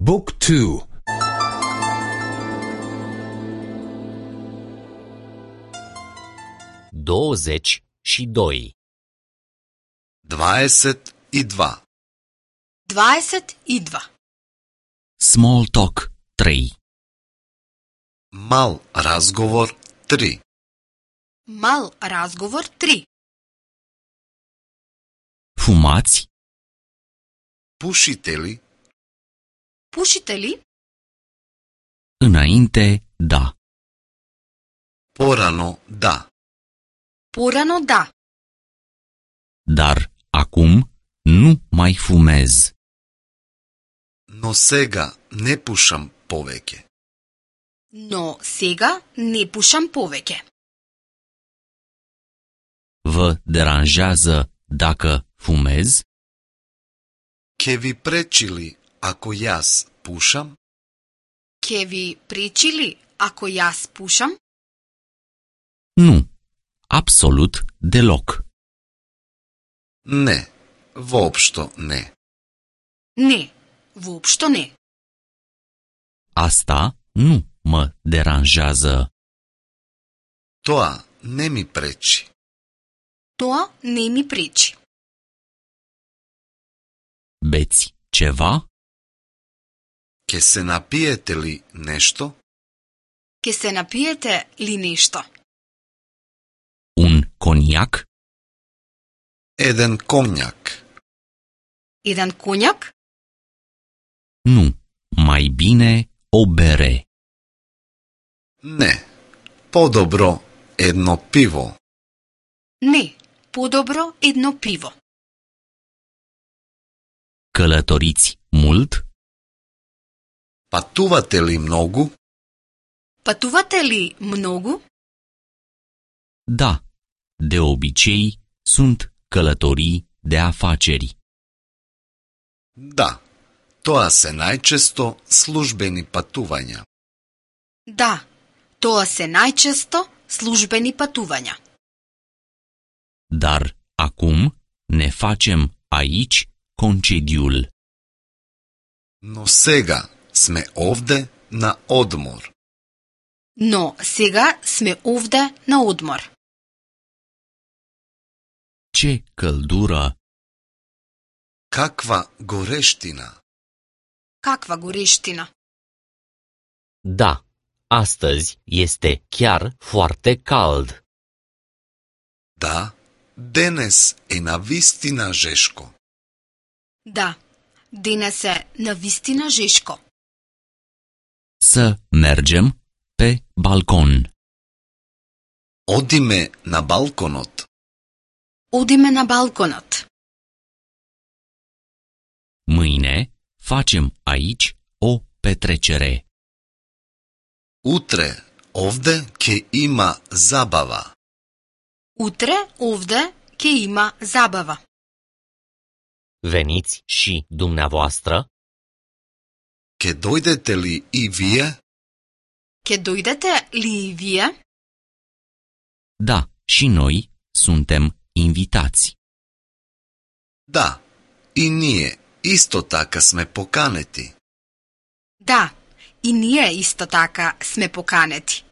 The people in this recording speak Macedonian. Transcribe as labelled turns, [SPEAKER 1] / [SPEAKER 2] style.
[SPEAKER 1] Book 2.
[SPEAKER 2] 22.
[SPEAKER 3] 22.
[SPEAKER 4] 22.
[SPEAKER 2] Small talk 3.
[SPEAKER 3] Мал разговор 3.
[SPEAKER 4] Мал разговор 3.
[SPEAKER 2] Fumați?
[SPEAKER 3] Пушите ли?
[SPEAKER 4] Пушите ли?
[SPEAKER 2] Înainte, da.
[SPEAKER 3] Порано да.
[SPEAKER 4] Порано да.
[SPEAKER 2] Dar acum nu mai fumez.
[SPEAKER 3] Но сега не пушам повеќе.
[SPEAKER 4] Но сега не пушам повеќе.
[SPEAKER 2] Vă deranjează dacă fumez?
[SPEAKER 3] Ке ви пречи ли ако јас пушам?
[SPEAKER 4] Ке ви пречи ли ако јас пушам?
[SPEAKER 2] Nu, absolut deloc.
[SPEAKER 3] Не, воопшто не.
[SPEAKER 4] Не, воопшто не.
[SPEAKER 2] Asta nu mă deranjează.
[SPEAKER 3] Тоа не ми пречи.
[SPEAKER 4] Тоа не ми пречи.
[SPEAKER 2] Beți ceva?
[SPEAKER 3] Ке се напиете ли нешто?
[SPEAKER 4] Ке се напиете ли нешто?
[SPEAKER 2] Un coniac?
[SPEAKER 3] Еден конјак.
[SPEAKER 4] Еден коњак?
[SPEAKER 2] Nu, mai bine o bere.
[SPEAKER 3] Не, подобро едно пиво.
[SPEAKER 4] Не, подобро едно пиво.
[SPEAKER 2] Călătoriți mult?
[SPEAKER 3] Патувате ли многу?
[SPEAKER 4] Патувате ли многу?
[SPEAKER 2] Da, de obicei sunt călătorii de afaceri.
[SPEAKER 3] Да, тоа се најчесто службени патувања.
[SPEAKER 4] Да, тоа се најчесто службени патувања.
[SPEAKER 2] Dar acum ne facem aici concediul.
[SPEAKER 3] Но сега сме овде на одмор.
[SPEAKER 4] Но сега сме овде на одмор.
[SPEAKER 2] Ce căldură!
[SPEAKER 3] Каква горештина!
[SPEAKER 4] Каква горештина!
[SPEAKER 2] Da, astăzi este chiar foarte cald.
[SPEAKER 3] Да, денес е навистина жешко.
[SPEAKER 4] Да, денес е навистина жешко.
[SPEAKER 2] Să mergem pe balcon.
[SPEAKER 3] Одиме на балконот.
[SPEAKER 4] Одиме на балконот.
[SPEAKER 2] Mâine facem aici o petrecere.
[SPEAKER 3] Утре овде ќе има забава.
[SPEAKER 4] Утре овде ќе има забава.
[SPEAKER 2] Veniți și dumneavoastră?
[SPEAKER 3] Ке дојдете ли и вие?
[SPEAKER 4] Ке дојдете ли и вие?
[SPEAKER 2] Da, și noi suntem invitați.
[SPEAKER 3] Да, и ние исто така сме поканети.
[SPEAKER 4] Да, и ние исто така сме поканети.